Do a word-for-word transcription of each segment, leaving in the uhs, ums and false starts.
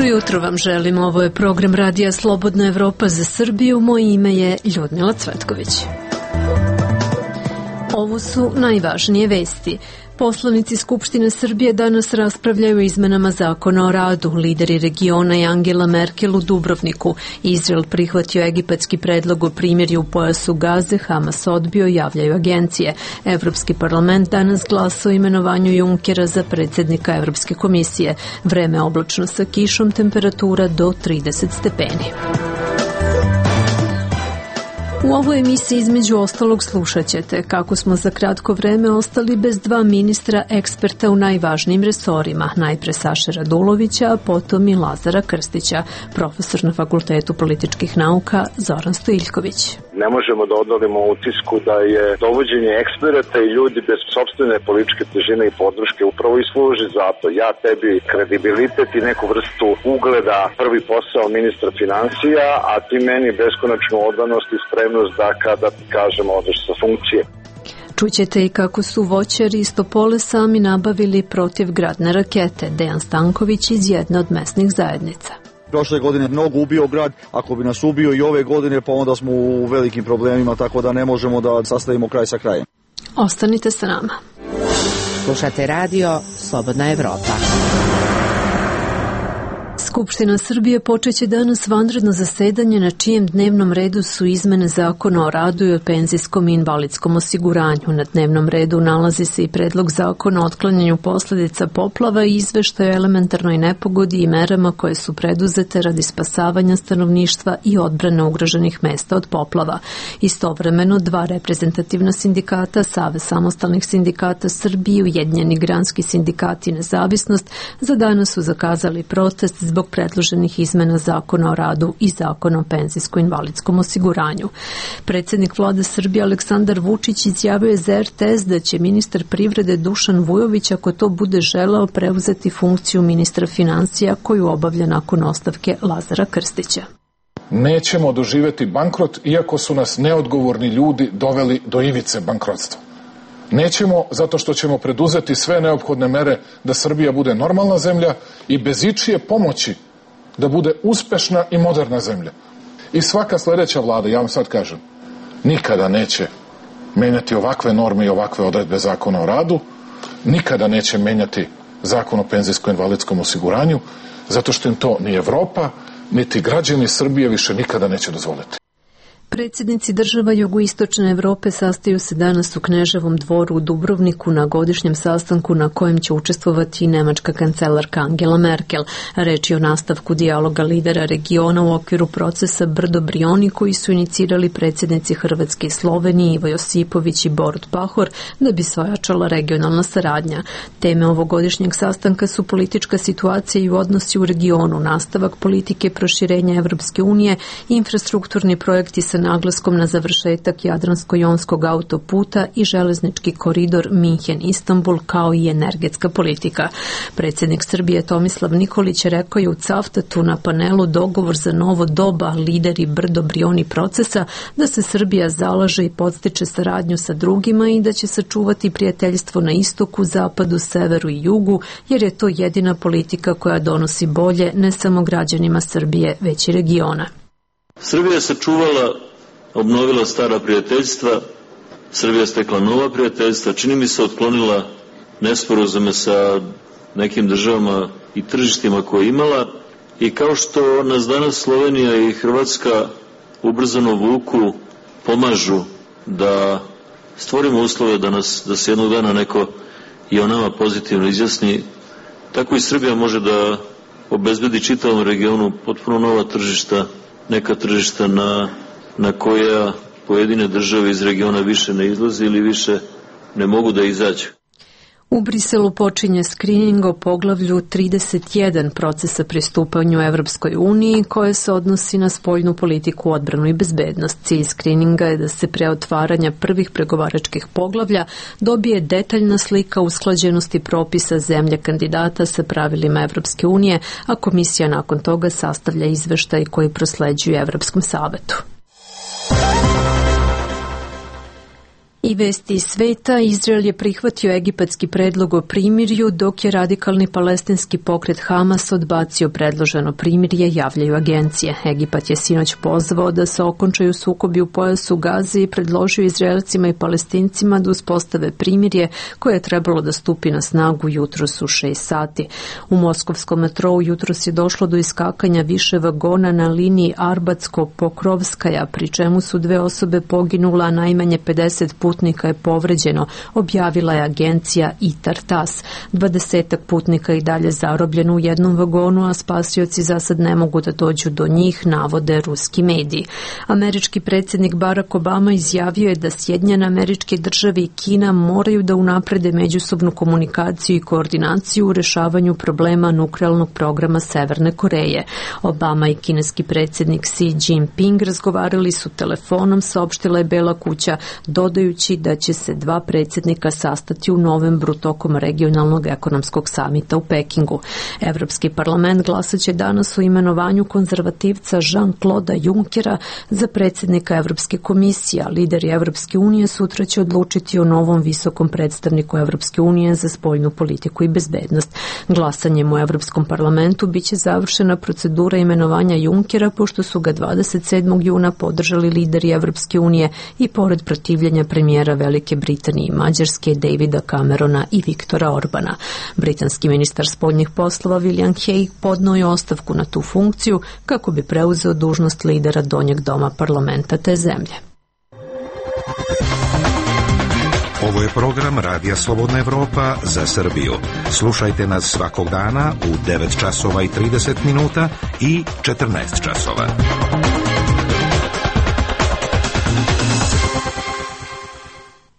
Dobro jutro vam želim, ovo je program Radija Slobodna Evropa za Srbiju, moje ime je Ljudmila Cvetković. Ovo su najvažnije vesti. Poslanici Skupštine Srbije danas raspravljaju o izmenama zakona o radu. Lideri regiona i Angela Merkel u Dubrovniku. Izrael prihvatio egipatski predlog o primirju u pojasu Gaze, Hamas odbio, javljaju agencije. Evropski parlament danas glasa o imenovanju Junckera za predsjednika Evropske komisije. Vreme oblačno sa kišom, temperatura do trideset stepeni. U ovoj emisiji između ostalog slušat ćete kako smo za kratko vreme ostali bez dva ministra eksperta u najvažnijim resorima, najpre Saše Radulovića, a potom i Lazara Krstića, profesor na Fakultetu političkih nauka Zoran Stojiljković. Ne možemo da odolimo utisku da je dovođenje eksperata i ljudi bez sopstvene političke težine i podrške upravo i služi za to. Ja tebi kredibilitet i neku vrstu ugleda, prvi posao ministra financija, a ti meni beskonačnu odanost i spremnost da kada ti kažemo odeš sa funkcije. Čućete i kako su voćari iz Topole sami nabavili protivgradne rakete. Dejan Stanković iz jedne od mesnih zajednica. Prošle godine mnogo ubio grad, ako bi nas ubio i ove godine, pa onda smo u velikim problemima, tako da ne možemo da sastavimo kraj sa krajem. Ostanite sa nama. Slušate radio Slobodna Evropa. Skupština Srbije počeće danas vanredno zasedanje na čijem dnevnom redu su izmene zakona o radu i o penzijskom i invalidskom osiguranju. Na dnevnom redu nalazi se i predlog zakona o otklanjanju posljedica poplava i izveštaj o elementarnoj nepogodi i merama koje su preduzete radi spasavanja stanovništva i odbrane ugroženih mesta od poplava. Istovremeno, dva reprezentativna sindikata, Savez samostalnih sindikata Srbije i Ujedinjeni granski sindikat i Nezavisnost, za danas su zakazali protest zbog predloženih izmena zakona o radu i zakona o penzijsko-invalidskom osiguranju. Predsjednik vlade Srbije Aleksandar Vučić izjavio je za er te es da će ministar privrede Dušan Vujović, ako to bude želeo, preuzeti funkciju ministra financija koju obavlja nakon ostavke Lazara Krstića. Nećemo doživjeti bankrot iako su nas neodgovorni ljudi doveli do ivice bankrotstva. Nećemo zato što ćemo preduzeti sve neophodne mere da Srbija bude normalna zemlja i bez ičije pomoći da bude uspešna i moderna zemlja. I svaka sljedeća vlada, ja vam sad kažem, nikada neće menjati ovakve norme i ovakve odredbe zakona o radu, nikada neće menjati zakon o penzijsko-invalidskom osiguranju, zato što im to ni Evropa, niti građani Srbije više nikada neće dozvoliti. Predsjednici država jugoistočne Evrope sastaju se danas u Kneževom dvoru u Dubrovniku na godišnjem sastanku na kojem će učestvovati i nemačka kancelarka Angela Merkel. Reč je o nastavku dijaloga lidera regiona u okviru procesa Brdo-Brioni koji su inicirali predsjednici Hrvatske i Slovenije Ivo Josipović i Borut Pahor da bi se ojačala regionalna saradnja. Teme ovogodišnjeg sastanka su politička situacija i odnosi u regionu, nastavak politike proširenja Evropske unije, infrastrukturni projekti sa naglaskom na završetak Jadransko-jonskog autoputa i železnički koridor Minhen-Istanbul kao i energetska politika. Predsjednik Srbije Tomislav Nikolić rekao je u Cavtatu na panelu Dogovor za novo doba, lideri Brdo-Brioni procesa, da se Srbija zalaže i podstiče saradnju sa drugima i da će sačuvati prijateljstvo na istoku, zapadu, severu i jugu, jer je to jedina politika koja donosi bolje ne samo građanima Srbije, već i regiona. Srbija se čuvala, obnovila stara prijateljstva, Srbija stekla nova prijateljstva, čini mi se otklonila nesporazume sa nekim državama i tržištima koje je imala i kao što nas danas Slovenija i Hrvatska ubrzano vuku, pomažu da stvorimo uslove da, nas, da se jednog dana neko i o nama pozitivno izjasni, tako i Srbija može da obezbedi čitavom regionu potpuno nova tržišta, neka tržišta na, na koja pojedine države iz regiona više ne izlaze ili više ne mogu da izađu. U Briselu počinje skrining o poglavlju trideset jedan procesa pristupanju Evropskoj uniji koje se odnosi na spoljnu politiku, odbranu i bezbednost. Cilj skrininga je da se pre otvaranja prvih pregovaračkih poglavlja dobije detaljna slika usklađenosti propisa zemlje kandidata sa pravilima Evropske unije, a komisija nakon toga sastavlja izveštaj koji prosleđuje Evropskom savetu. I vesti iz sveta, Izrael je prihvatio egipatski predlog o primirju, dok je radikalni palestinski pokret Hamas odbacio predloženo primirje, javljaju agencije. Egipat je sinoć pozvao da se okončaju sukobi u pojasu Gaze i predložio Izraelcima i Palestincima da uspostave primirje koje je trebalo da stupi na snagu jutros u šest sati. U moskovskom metrou jutros je došlo do iskakanja više vagona na liniji Arbatsko-Pokrovskaja, pri čemu su dve osobe poginula, a najmanje pedeset putnika je povređeno, objavila je agencija Itar-Tas. Dvadesetak putnika i dalje zarobljeno u jednom vagonu, a spasioci za sad ne mogu da dođu do njih, navode ruski mediji. Američki predsjednik Barack Obama izjavio je da Sjedinjene Američke Države i Kina moraju da unaprede međusobnu komunikaciju i koordinaciju u rešavanju problema nuklearnog programa Severne Koreje. Obama i kineski predsjednik Xi Jinping razgovarali su telefonom, saopštila je Bela kuća, dodajući da će se dva predsjednika sastati u novembru tokom regionalnog ekonomskog samita u Pekingu. Evropski parlament glasaće danas o imenovanju konzervativca Jean-Claude Junckera za predsjednika Evropske komisije, a lideri Evropske unije sutra će odlučiti o novom visokom predstavniku Evropske unije za spoljnu politiku i bezbednost. Glasanjem u Evropskom parlamentu biće završena procedura imenovanja Junckera, pošto su ga dvadeset sedmog juna podržali lideri Evropske unije i pored protivljenja premijera Velike Britanije i Mađarske, Davida Camerona i Viktora Orbana. Britanski ministar spoljnih poslova William Hague podneo je ostavku na tu funkciju kako bi preuzeo dužnost lidera donjeg doma parlamenta te zemlje. Ovo je program Radija Slobodna Evropa za Srbiju. Slušajte nas svakog dana u devet časova i trideset minuta i četrnaest časova.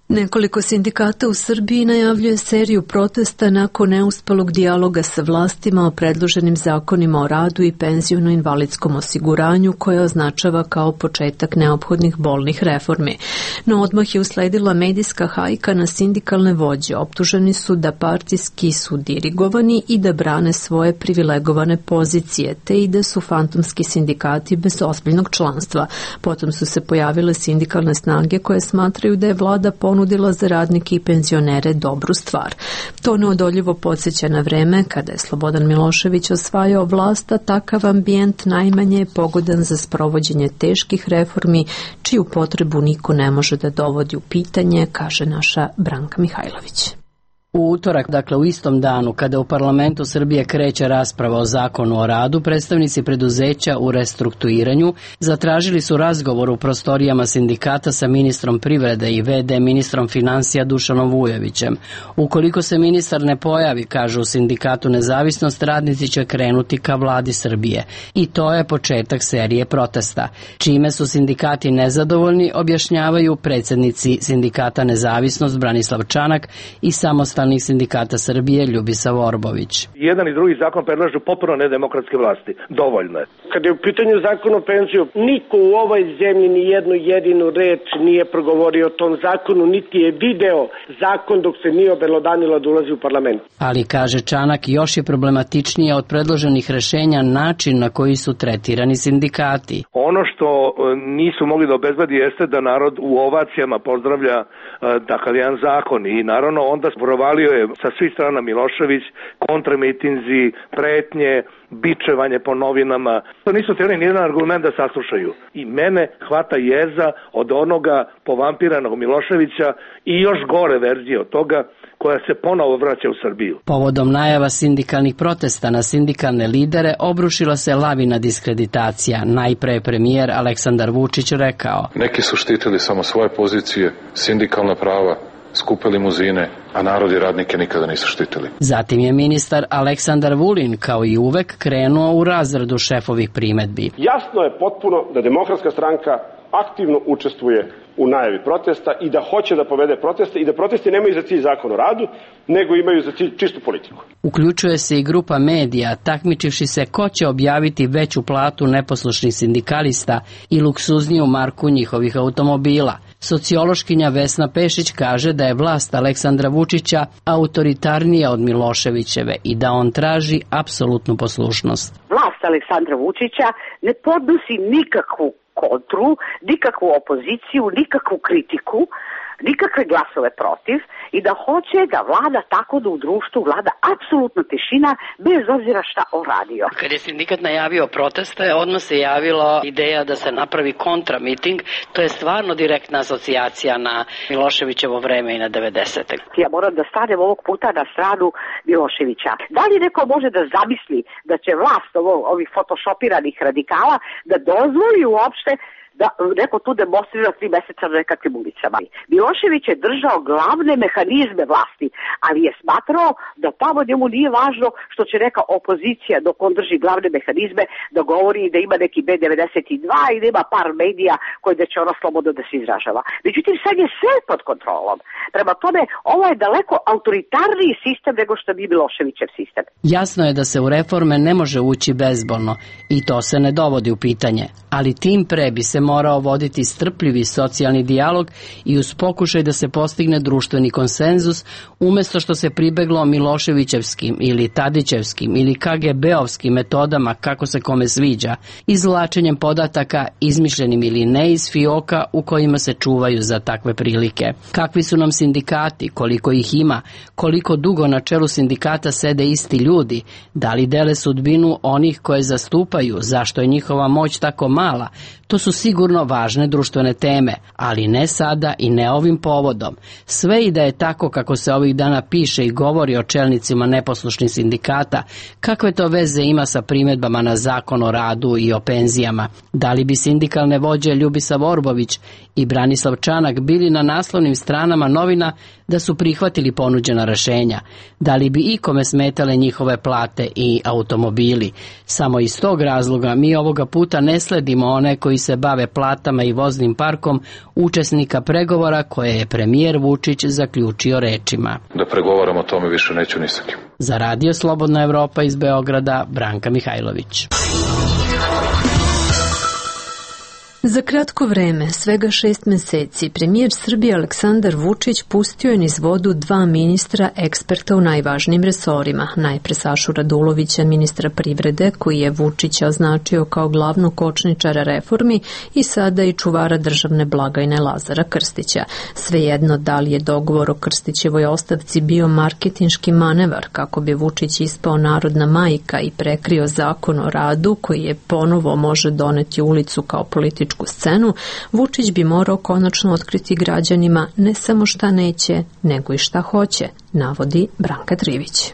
Nekoliko sindikata u Srbiji najavljuje seriju protesta nakon neuspelog dijaloga sa vlastima o predloženim zakonima o radu i penziono-invalidskom osiguranju, koje označava kao početak neophodnih bolnih reformi. No odmah je usledila medijska hajka na sindikalne vođe. Optuženi su da partijski su dirigovani i da brane svoje privilegovane pozicije, te i da su fantomski sindikati bez ozbiljnog članstva. Potom su se pojavile sindikalne snage koje smatraju da je vlada ponudila za radnike i penzionere dobru stvar. To neodoljivo podsjeća na vreme kada je Slobodan Milošević osvajao vlast, a takav ambijent najmanje je pogodan za sprovođenje teških reformi, čiju potrebu niko ne može da dovodi u pitanje, kaže naša Branka Mihajlović. U utorak, dakle u istom danu, kada u parlamentu Srbije kreće rasprava o zakonu o radu, predstavnici preduzeća u restrukturiranju zatražili su razgovor u prostorijama sindikata sa ministrom privrede i ve de ministrom finansija Dušanom Vujovićem. Ukoliko se ministar ne pojavi, kažu u sindikatu Nezavisnost, radnici će krenuti ka vladi Srbije. I to je početak serije protesta. Čime su sindikati nezadovoljni, objašnjavaju predsjednici sindikata Nezavisnost Branislav Čanak i samostalni sindikata Srbije Ljubisa Vorbović. Jedan i drugi zakon predlažu potpuno nedemokratske vlasti. Dovoljno je. Kad je u pitanju zakon o penziju, niko u ovoj zemlji ni jednu jedinu reč nije progovorio o tom zakonu, niti je video zakon dok se nije obelodanilo da ulazi u parlament. Ali, kaže Čanak, još je problematičnije od predloženih rešenja način na koji su tretirani sindikati. Ono što nisu mogli da obezbedi jeste da narod u ovacijama pozdravlja takav jedan zakon i naravno onda provalio je sa svih strana Milošević, kontramitinzi, pretnje, bičevanje po novinama. To nisu htjeli nijedan argument da saslušaju. I mene hvata jeza od onoga povampiranog Miloševića i još gore verzije od toga koja se ponovo vraća u Srbiju. Povodom najava sindikalnih protesta na sindikalne lidere obrušila se lavina diskreditacija. Najpre je premijer Aleksandar Vučić rekao: Neki su štitili samo svoje pozicije, sindikalna prava, skupe limuzine, a narod i radnike nikada nisu štitili. Zatim je ministar Aleksandar Vulin, kao i uvek, krenuo u razradu šefovih primedbi. Jasno je potpuno da Demokratska stranka aktivno učestvuje u najavi protesta i da hoće da povede proteste i da protesti nemaju za cilj zakon o radu, nego imaju za cilj čistu politiku. Uključuje se i grupa medija, takmičivši se ko će objaviti veću platu neposlušnih sindikalista i luksuzniju marku njihovih automobila. Sociološkinja Vesna Pešić kaže da je vlast Aleksandra Vučića autoritarnija od Miloševićeve i da on traži apsolutnu poslušnost. Vlast Aleksandra Vučića ne podnosi nikakvu kontru, nikakvu opoziciju, nikakvu kritiku, nikakve glasove protiv i da hoće da vlada tako da u društvu vlada apsolutna tišina bez obzira šta on radio. Kad je sindikat najavio proteste, odmah se javila ideja da se napravi kontramiting. To je stvarno direktna asocijacija na Miloševićevo vreme i na devedesete. Ja moram da stanem ovog puta na stranu Miloševića. Da li neko može da zamisli da će vlast ovo, ovih fotošopiranih radikala da dozvoli uopšte da neko tu demonstrira tri meseca na nekakvim ulicama. Milošević je držao glavne mehanizme vlasti, ali je smatrao da tamo njemu nije važno što će neka opozicija dok on drži glavne mehanizme da govori da ima neki B devedeset dva i da ima par medija koji da će ono slobodno da se izražava. Međutim, sad je sve pod kontrolom. Prema tome, ovo je daleko autoritarniji sistem nego što bi Miloševićev sistem. Jasno je da se u reforme ne može ući bezbolno i to se ne dovodi u pitanje, ali tim pre bi se morao voditi strpljivi socijalni dijalog i uz pokušaj da se postigne društveni konsenzus, umesto što se pribeglo Miloševićevskim ili Tadićevskim ili K G B-ovskim metodama kako se kome sviđa, izvlačenjem podataka izmišljenim ili ne iz fioka u kojima se čuvaju za takve prilike. Kakvi su nam sindikati, koliko ih ima, koliko dugo na čelu sindikata sede isti ljudi, da li dele sudbinu onih koje zastupaju, zašto je njihova moć tako mala, to su sigurno važne društvene teme, ali ne sada i ne ovim povodom. Sve i da je tako kako se ovih dana piše i govori o čelnicima neposlušnih sindikata, kakve to veze ima sa primjedbama na zakon o radu i o penzijama? Da li bi sindikalne vođe Ljubisav Orbović i Branislav Čanak bili na naslovnim stranama novina da su prihvatili ponuđena rešenja? Da li bi ikome smetale njihove plate i automobili? Samo iz tog razloga mi ovoga puta ne sledimo one koji se bave platama i voznim parkom učesnika pregovora koje je premijer Vučić zaključio rečima: Da pregovaram o tome više neću ni sa kim. Za Radio Slobodna Evropa iz Beograda, Branka Mihajlović. Za kratko vreme, svega šest meseci, premijer Srbije Aleksandar Vučić pustio je niz vodu dva ministra eksperta u najvažnijim resorima. Najpre Sašu Radulovića, ministra privrede, koji je Vučića označio kao glavnu kočničara reformi, i sada i čuvara državne blagajne Lazara Krstića. Svejedno da li je dogovor o Krstićevoj ostavci bio marketinški manevar kako bi Vučić ispao narodna majka i prekrio zakon o radu koji je ponovo može doneti ulicu kao političku scenu, Vučić bi morao konačno otkriti građanima ne samo šta neće, nego i šta hoće, navodi Branka Trivić.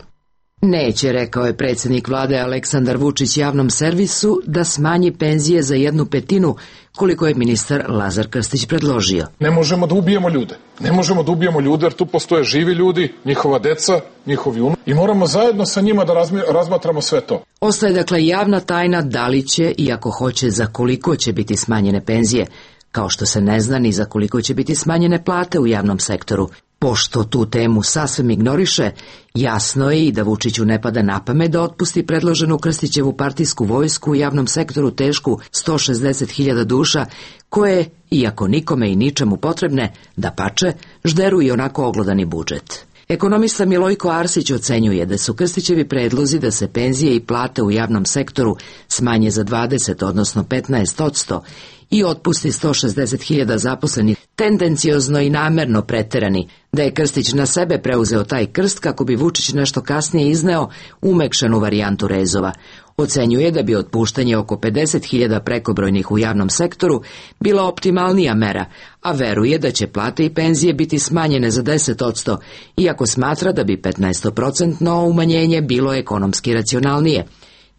Neće, rekao je predsjednik vlade Aleksandar Vučić javnom servisu, da smanji penzije za jednu petinu, koliko je ministar Lazar Krstić predložio. Ne možemo da ubijemo ljude. Ne možemo da ubijemo ljude jer tu postoje živi ljudi, njihova deca, njihovi unuci i moramo zajedno sa njima da razmatramo sve to. Ostaje dakle javna tajna da li će i ako hoće za koliko će biti smanjene penzije, kao što se ne zna ni za koliko će biti smanjene plate u javnom sektoru. Pošto tu temu sasvim ignoriše, jasno je i da Vučiću ne pada na pamet da otpusti predloženu Krstićevu partijsku vojsku u javnom sektoru tešku sto šezdeset hiljada duša, koje, iako nikome i ničemu potrebne, dapače, žderu i onako oglodani budžet. Ekonomista Milojko Arsić ocenjuje da su Krstićevi predlozi da se penzije i plate u javnom sektoru smanje za dvadeset, odnosno petnaest odsto, i otpusti sto šezdeset hiljada zaposlenih tendenciozno i namerno preterani, da je Krstić na sebe preuzeo taj krst kako bi Vučić nešto kasnije izneo umekšanu varijantu rezova. Ocenjuje da bi otpuštanje oko pedeset hiljada prekobrojnih u javnom sektoru bila optimalnija mera, a veruje da će plate i penzije biti smanjene za deset odsto, iako smatra da bi petnaest procentno umanjenje bilo ekonomski racionalnije.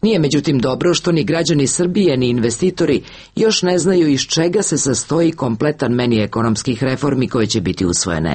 Nije međutim dobro što ni građani Srbije ni investitori još ne znaju iz čega se sastoji kompletan meni ekonomskih reformi koje će biti usvojene.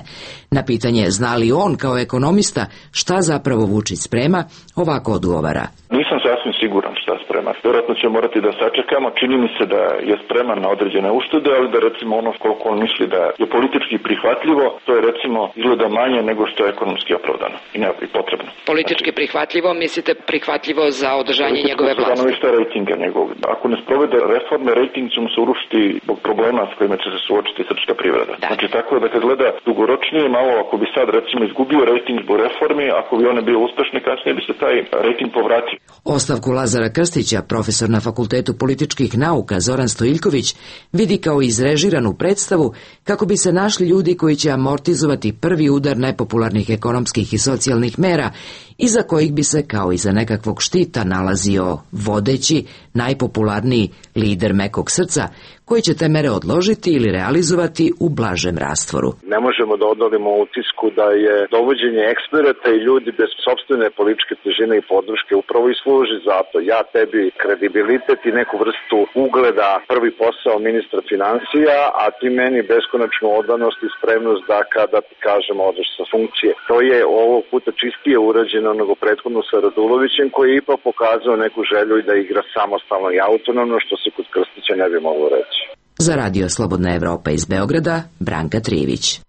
Na pitanje zna li on kao ekonomista šta zapravo Vučić sprema, ovako odgovara. Nisam sasvim siguran šta sprema. Vjerojatno će morati da sačekamo. Čini mi se da je spreman na određene uštede, ali da recimo ono koliko on misli da je politički prihvatljivo, to je recimo izgleda manje nego što je ekonomski opravdano i ne i potrebno. Politički prihvatljivo, mislite prihvatljivo za održanje njegove vlasti? Šta rejtinga njegov. Ako ne sprovede reforme, rejting će mu se urušiti zbog problema s kojima će se suočiti srpska privreda. Da. Znači tako da kad gleda dugoročnije, malo ako bi sad recimo izgubio rejting zbog reformi, ako bi one bio uspešne, kasnije bi se taj rejting povratio. Ostavku Lazara Krstića, profesor na Fakultetu političkih nauka Zoran Stojiljković, vidi kao izrežiranu predstavu kako bi se našli ljudi koji će amortizovati prvi udar nepopularnih ekonomskih i socijalnih mera, iza kojih bi se kao iza nekakvog štita nalazio vodeći, najpopularniji lider mekog srca, koji će te mere odložiti ili realizovati u blažem rastvoru. Ne možemo da odolimo utisku da je dovođenje eksperata i ljudi bez sopstvene političke težine i podrške upravo i služi za to. Ja tebi kredibilitet i neku vrstu ugleda, prvi posao ministra financija, a ti meni beskonačnu odanost i spremnost da kada ti kažemo odeš sa funkcije. To je ovog puta čistije urađeno nego prethodno sa Radulovićem, koji je ipak pokazao neku želju i da igra samostalno i autonomno, što se kod Krstića ne bi moglo reći. Za Radio Slobodna Evropa iz Beograda, Branka Trivić.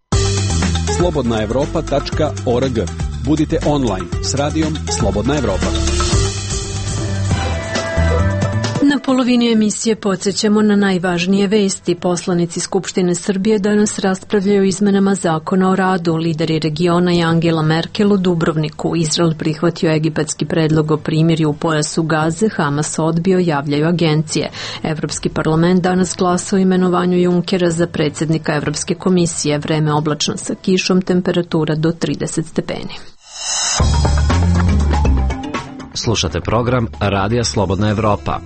slobodna evropa tačka org. Budite online s radijom Slobodna Evropa. Na polovini emisije podsjećamo na najvažnije vesti. Poslanici Skupštine Srbije danas raspravljaju o izmenama zakona o radu. Lideri regiona i Angela Merkel u Dubrovniku. Izrael prihvatio egipatski predlog o primirju u pojasu Gaze, Hamas odbio, javljaju agencije. Evropski parlament danas glasa o imenovanju Junckera za predsjednika Evropske komisije. Vreme oblačno sa kišom, temperatura do trideset stepeni. Slušate program Radija Slobodna Evropa.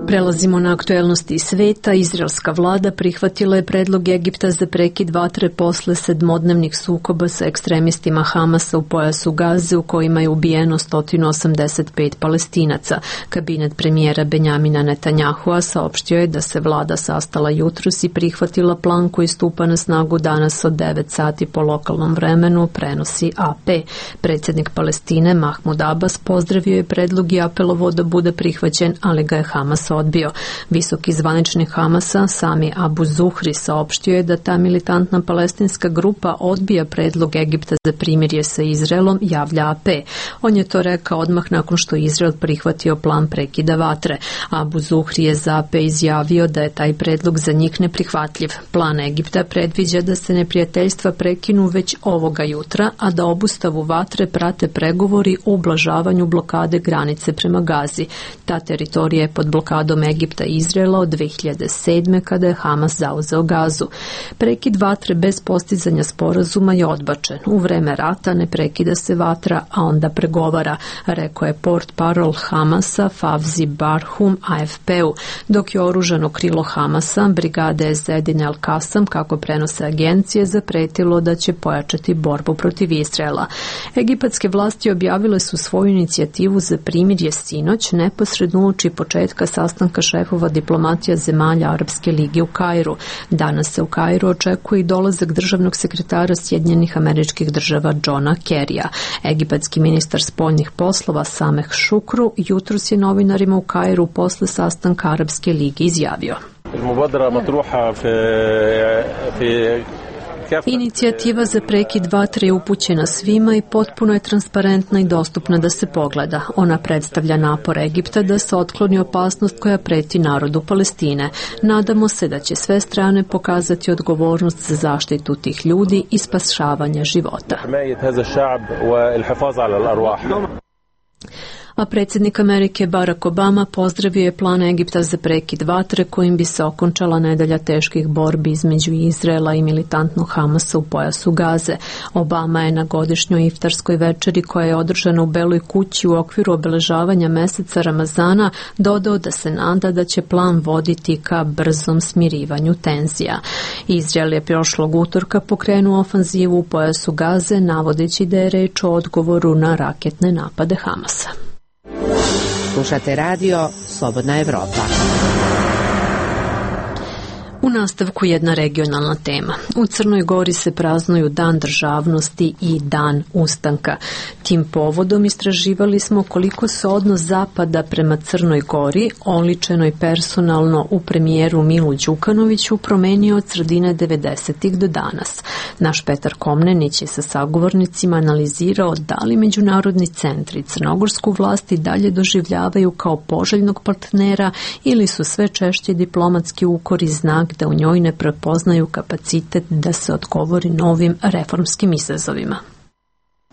Prelazimo na aktuelnosti sveta. Izraelska vlada prihvatila je predlog Egipta za prekid vatre posle sedmodnevnih sukoba sa ekstremistima Hamasa u pojasu Gaze, u kojima je ubijeno sto osamdeset pet Palestinaca. Kabinet premijera Benjamina Netanyahua saopštio je da se vlada sastala jutros i prihvatila plan koji stupa na snagu danas od devet sati po lokalnom vremenu, prenosi A P. Predsjednik Palestine Mahmud Abbas pozdravio je predlog i apelovao da bude prihvaćen, ali ga je Hamas odbio. Visoki zvaničnik Hamasa Sami Abu Zuhri saopštio je da ta militantna palestinska grupa odbija predlog Egipta za primirje sa Izraelom, javlja A P. On je to rekao odmah nakon što Izrael prihvatio plan prekida vatre. Abu Zuhri je za A P izjavio da je taj predlog za njih neprihvatljiv. Plan Egipta predviđa da se neprijateljstva prekinu već ovoga jutra, a da obustavu vatre prate pregovori o ublažavanju blokade granice prema Gazi. Ta teritorija je pod blokadom Egipta i Izraela od dve hiljade sedme kada je Hamas zauzeo Gazu. Prekid vatre bez postizanja sporazuma je odbačen. U vreme rata ne prekida se vatra, a onda pregovara, rekao je portparol Hamasa Favzi Barhum A F P-u, dok je oružano krilo Hamasa, brigade Ezedin El Kasam, kako prenose agencije, zapretilo da će pojačati borbu protiv Izraela. Egipatske vlasti objavile su svoju inicijativu za primirje sinoć, neposredno uoči početka sastanka šefova diplomatija zemalja Arapske lige u Kairu. Danas se u Kairu očekuje i dolazak državnog sekretara Sjedinjenih Američkih Država Johna Kerrya. Egipatski ministar spoljnih poslova Sameh Šukru jutros je novinarima u Kairu posle sastanka Arapske lige izjavio: Inicijativa za prekid vatre je upućena svima i potpuno je transparentna i dostupna da se pogleda. Ona predstavlja napor Egipta da se otkloni opasnost koja preti narodu Palestine. Nadamo se da će sve strane pokazati odgovornost za zaštitu tih ljudi i spašavanje života. A predsjednik Amerike Barack Obama pozdravio je plan Egipta za prekid vatre kojim bi se okončala nedelja teških borbi između Izraela i militantnog Hamasa u pojasu Gaze. Obama je na godišnjoj iftarskoj večeri koja je održana u Beloj kući u okviru obeležavanja meseca Ramazana dodao da se nada da će plan voditi ka brzom smirivanju tenzija. Izrael je prošlog utorka pokrenuo ofanzivu u pojasu Gaze, navodeći da je reč o odgovoru na raketne napade Hamasa. Slušate radio Slobodna Evropa. U nastavku jedna regionalna tema. U Crnoj Gori se praznuju Dan državnosti i Dan ustanka. Tim povodom istraživali smo koliko se odnos Zapada prema Crnoj Gori, oličenoj personalno u premijeru Milu Đukanoviću, promenio od sredine devedesetih do danas. Naš Petar Komnenić je sa sagovornicima analizirao da li međunarodni centri crnogorsku vlast i dalje doživljavaju kao poželjnog partnera ili su sve češće diplomatski ukori znak da u njoj ne prepoznaju kapacitet da se odgovori novim reformskim izazovima.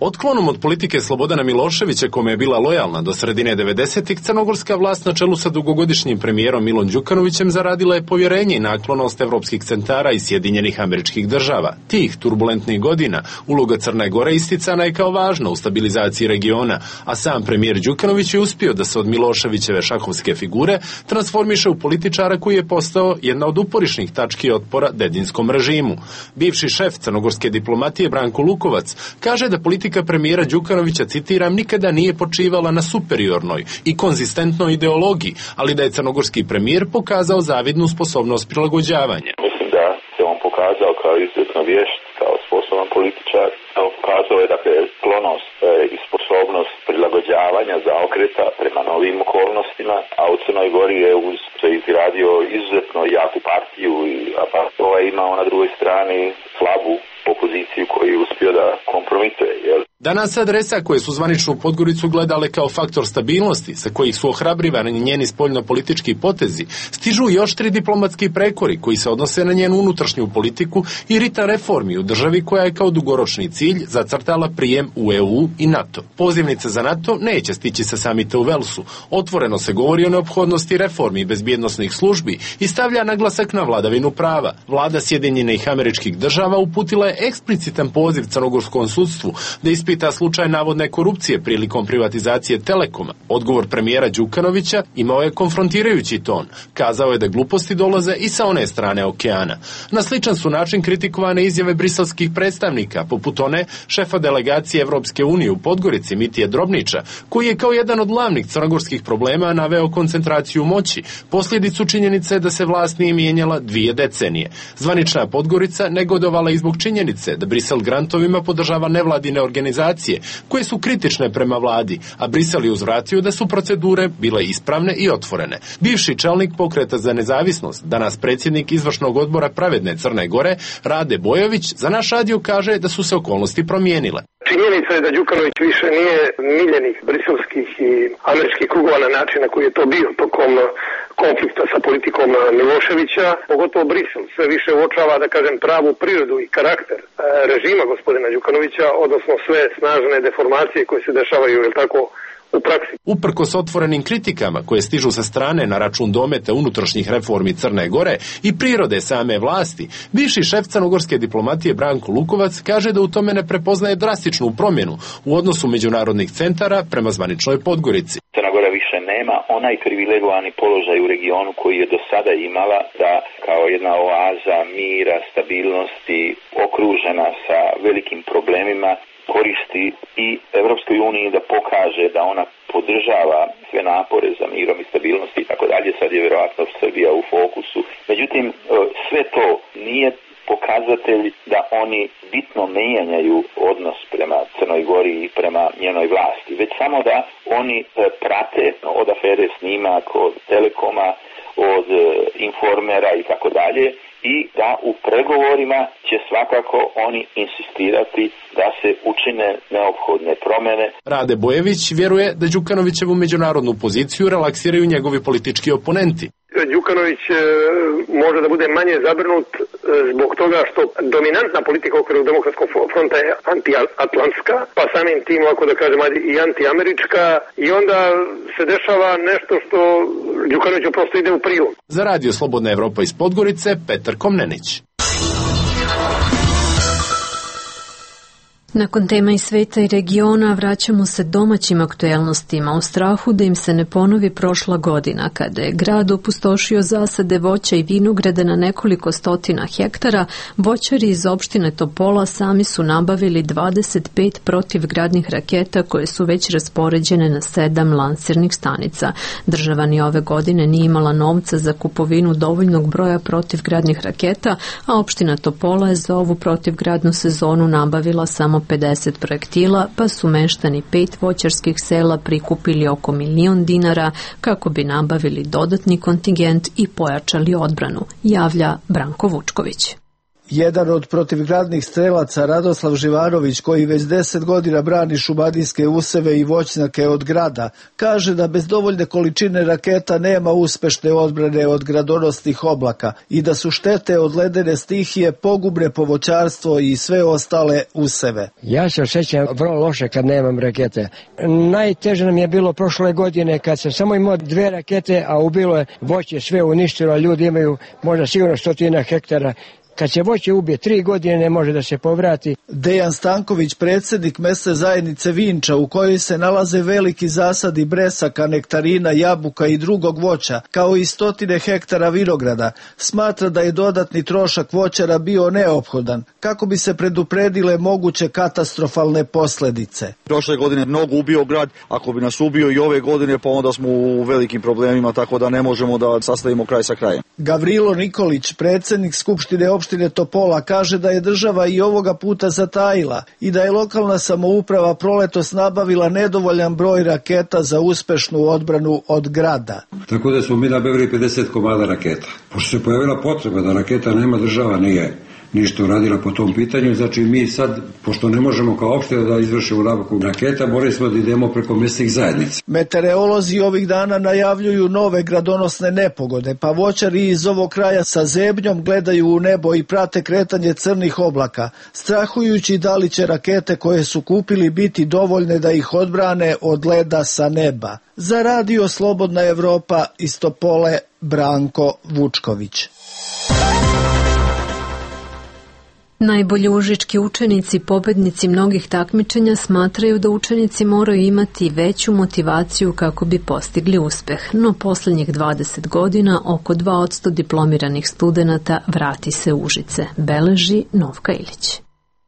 Otklonom od politike Slobodana Miloševića, kome je bila lojalna do sredine devedesetih, crnogorska vlast na čelu sa dugogodišnjim premijerom Milom Đukanovićem zaradila je povjerenje i naklonost evropskih centara i Sjedinjenih Američkih Država. Tih turbulentnih godina uloga Crne Gore isticana je kao važna u stabilizaciji regiona, a sam premijer Đukanović je uspio da se od Miloševićeve šahovske figure transformiše u političara koji je postao jedna od uporišnih tački otpora dedinskom režimu. Bivši šef crnogorske diplomatije Branko Lukovac kaže da politika premijera Đukanovića, citiram, nikada nije počivala na superiornoj i konzistentnoj ideologiji, ali da je crnogorski premijer pokazao zavidnu sposobnost prilagođavanja. Mislim da se on pokazao kao izuzetno vješt, kao sposoban političar, pokazao je dakle sklonost i sposobnost prilagođavanja, zaokreta prema novim okolnostima, a u Crnoj Gori je uz se izgradio izuzetno jaku partiju, a pa ovaj imao na drugoj strani slabu opoziciju koju je uspio da kompromituje, jel? Danas adresa koje su zvaničnu Podgoricu gledale kao faktor stabilnosti, sa kojih su ohrabrivani njeni spoljno-politički potezi, stižu još tri diplomatski prekori koji se odnose na njenu unutrašnju politiku i ritam reformi u državi koja je kao dugoročni cilj zacrtala prijem u E U i NATO. Pozivnica za NATO neće stići sa samita u Velsu. Otvoreno se govori o neophodnosti reformi bezbjednosnih službi i stavlja naglasak na vladavinu prava. Vlada Sjedinjenih Američkih Država uputila je eksplicitan poziv crnogorskom sudstvu da ispita slučaj navodne korupcije prilikom privatizacije Telekoma. Odgovor premijera Đukanovića imao je konfrontirajući ton. Kazao je da gluposti dolaze i sa one strane okeana. Na sličan su način kritikovane izjave briselskih predstavnika, poput one šefa delegacije Evropske unije u Podgorici Mitije Drobnića, koji je kao jedan od glavnih crnogorskih problema naveo koncentraciju moći, posljedicu činjenice da se vlast nije mijenjala dvije decenije. Zvanična Podgorica negodovala i zbog činjenice da Brisel grantovima podržava nevladine organizacije koje su kritične prema vladi, a Brisel je uzvratio da su procedure bile ispravne i otvorene. Bivši čelnik Pokreta za nezavisnost, danas predsjednik izvršnog odbora Pravedne Crne Gore, Rade Bojović, za naš radio kaže da su se okolnosti promijenile. Činjenica je da Đukanović više nije miljenih briselskih i američkih krugova na način na koji je to bio tokom konflikta sa politikom Miloševića, pogotovo Brisel sve više uočava, da kažem, pravu prirodu i karakter režima gospodina Đukanovića, odnosno sve snažne deformacije koje se dešavaju, je tako, u praksi. Uprkos otvorenim kritikama koje stižu sa strane na račun dometa unutrašnjih reformi Crne Gore i prirode same vlasti, bivši šef crnogorske diplomatije Branko Lukovac kaže da u tome ne prepoznaje drastičnu promjenu u odnosu međunarodnih centara prema zvaničnoj Podgorici. Crna Gora više nema onaj privilegovani položaj u regionu koji je do sada imala, da kao jedna oaza mira, stabilnosti, okružena sa velikim problemima, koristi i Evropskoj uniji da pokaže da ona podržava sve napore za mirom i stabilnosti i tako dalje. Sad je vjerojatno Srbija u fokusu. Međutim, sve to nije pokazatelj da oni bitno mijenjaju odnos prema Crnoj Gori i prema njenoj vlasti, već samo da oni prate od afere Snimak, od Telekoma, od Informera i tako dalje, i da u pregovorima će svakako oni insistirati da se učine neophodne promjene. Rade Bojević vjeruje da Đukanovićevu međunarodnu poziciju relaksiraju njegovi politički oponenti. Đukanović može da bude manje zabrinut zbog toga što dominantna politika u okviru Demokratskog fronta je antiatlantska, pa samim tim, ako da kažem, i antiamerička, i onda se dešava nešto što Đukanoviću prosto ide u prilog. Za radio Slobodna Evropa iz Podgorice, Petar Komnenić. Nakon tema iz sveta i regiona vraćamo se domaćim aktuelnostima u strahu da im se ne ponovi prošla godina kada je grad opustošio zasade voća i vinograda na nekoliko stotina hektara. Voćari iz opštine Topola sami su nabavili dvadeset pet protivgradnih raketa koje su već raspoređene na sedam lansirnih stanica. Država ni ove godine nije imala novca za kupovinu dovoljnog broja protivgradnih raketa, a opština Topola je za ovu protivgradnu sezonu nabavila samo pedeset projektila, pa su meštani pet voćarskih sela prikupili oko milion dinara kako bi nabavili dodatni kontingent i pojačali odbranu, javlja Branko Vučković. Jedan od protivgradnih strelaca, Radoslav Živanović, koji već deset godina brani šumadijske useve i voćnjake od grada, kaže da bez dovoljne količine raketa nema uspešne odbrane od gradonosnih oblaka i da su štete od ledene stihije pogubne po voćarstvo i sve ostale useve. Ja se osjećam vrlo loše kad nemam rakete. Najteže nam je bilo prošle godine kad sam samo imao dve rakete, a ubilo je voće, sve uništilo, a ljudi imaju možda sigurno stotina hektara. Kad se voće ubije tri godine ne može da se povrati. Dejan Stanković, predsjednik mesne zajednice Vinča, u kojoj se nalaze veliki zasadi bresaka, nektarina, jabuka i drugog voća, kao i stotine hektara vinograda, smatra da je dodatni trošak voćara bio neophodan kako bi se predupredile moguće katastrofalne posljedice. Prošle godine mnogo ubio grad, ako bi nas ubio i ove godine, pa onda smo u velikim problemima, tako da ne možemo da sastavimo kraj sa krajem. Gavrilo Nikolić, predsjednik Skupštine opštine Topola, kaže da je država i ovoga puta zatajila i da je lokalna samouprava proletos nabavila nedovoljan broj raketa za uspešnu odbranu od grada. Tako da smo mi nabavili pedeset komada raketa. Pošto se pojavila potreba da raketa nema, država nije ništa uradila po tom pitanju, znači mi sad, pošto ne možemo kao opština da izvršimo nabavku raketa, morali smo da idemo preko mesnih zajednica. Meteorolozi ovih dana najavljuju nove gradonosne nepogode, pa voćari iz ovog kraja sa zebnjom gledaju u nebo i prate kretanje crnih oblaka, strahujući da li će rakete koje su kupili biti dovoljne da ih odbrane od leda sa neba. Za Radio Slobodna Evropa iz Topole, Branko Vučković. Najbolji užički učenici, pobednici mnogih takmičenja, smatraju da učenici moraju imati veću motivaciju kako bi postigli uspeh, no posljednjih dvadeset godina oko dva posto diplomiranih studenata vrati se u Užice, beleži Novka Ilić.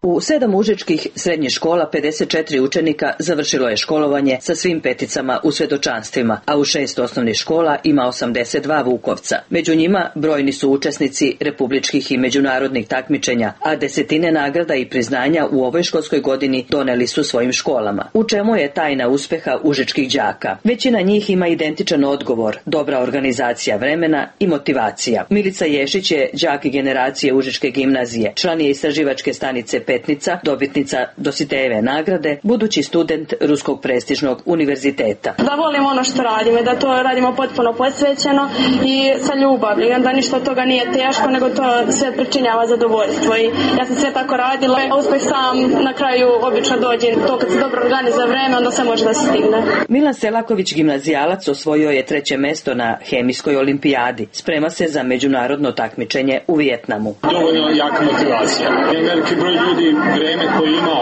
U sedam užičkih srednjih škola pedeset četiri učenika završilo je školovanje sa svim peticama u svedočanstvima, a u šest osnovnih škola ima osamdeset dva vukovca. Među njima brojni su učesnici republičkih i međunarodnih takmičenja, a desetine nagrada i priznanja u ovoj školskoj godini doneli su svojim školama. U čemu je tajna uspeha užičkih đaka? Većina njih ima identičan odgovor, dobra organizacija vremena i motivacija. Milica Ješić je đak generacije Užičke gimnazije, član je istraživačke stanice Petnica, dobitnica Dositejeve nagrade, budući student Ruskog prestižnog univerziteta. Da volimo ono što radimo, da to radimo potpuno posvećeno i sa ljubavlju, da ništa od toga nije teško, nego to sve pričinjava zadovoljstvo. I ja sam sve tako radila, a uspeh sam na kraju obično dođe. To kad se dobro organizuje vreme, onda se može da se stigne. Milan Selaković, gimnazijalac, osvojio je treće mesto na hemijskoj olimpijadi. Sprema se za međunarodno takmičenje u Vijetnamu. Dovoljno jaka motivacija. Veliki broj ljudi vreme koje ima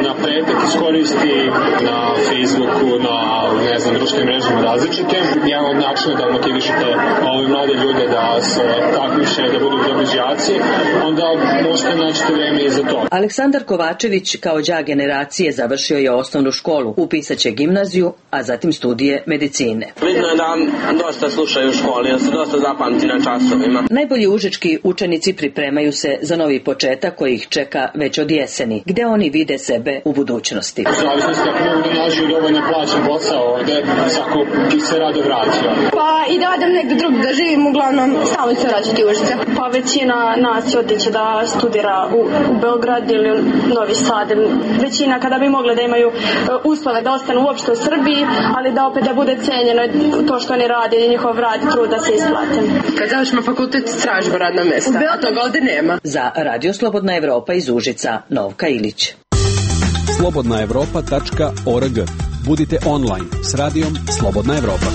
na pretek iskoristi na Facebooku, na ne znam, društvenim mrežama različitim. Jedan od načina da motivišete ove mlade ljude da se takmiče, da budu dobri đaci, onda možete naći vreme i za to. Aleksandar Kovačević kao đak generacije završio je osnovnu školu, upisaće gimnaziju, a zatim studije medicine. Vidno je da dosta slušaju u školi, da se dosta zapamti na časovima. Najbolji užički učenici pripremaju se za novi početak koji ih čeka već od jeseni, gde oni vide sebe u budućnosti. U zavisnosti ako mogu da nađu dovoljno plaćen posao ovde, svako bi se rado vratio. Pa i da odem negdje drugdje da živim, uglavnom stalno se vraćati u Užice. Pa većina nas odeće da studira u, u Beograd ili u Novi Sad. Većina kada bi mogle da imaju uslove da ostanu uopšte u Srbiji, ali da opet da bude cenjeno to što oni rade i njihov rad i trud da se isplate. Kad završimo fakultet, tražimo radna mesta, a toga ovde nema. Za Radio Slobodna Evropa iz Užica, Novka Ilić. slobodna evropa tačka org. Budite online s radijom Slobodna Evropa.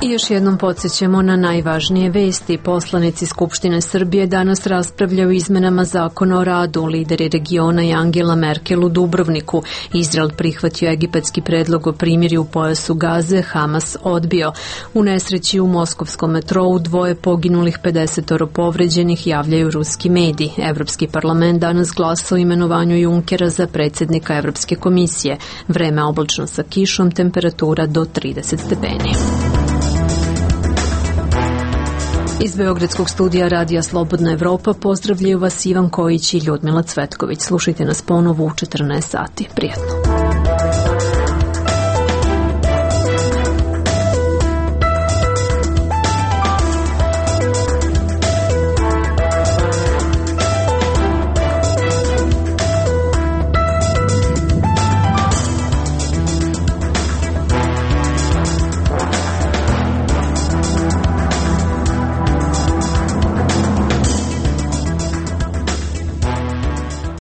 I još jednom podsjećamo na najvažnije vesti. Poslanici Skupštine Srbije danas raspravljaju o izmenama zakona o radu. Lideri regiona i Angela Merkel u Dubrovniku. Izrael prihvatio egipatski predlog o primirju u pojasu Gaze, Hamas odbio. U nesreći u moskovskom metrou dvoje poginulih, pedesetoro povređenih, javljaju ruski mediji. Evropski parlament danas glasa o imenovanju Junckera za predsjednika Evropske komisije. Vreme oblačno sa kišom, temperatura do trideset stepeni. Iz Beogradskog studija Radija Slobodna Evropa pozdravljaju vas Ivan Kojić i Ljudmila Cvetković. Slušajte nas ponovo u četrnaest sati. Prijetno.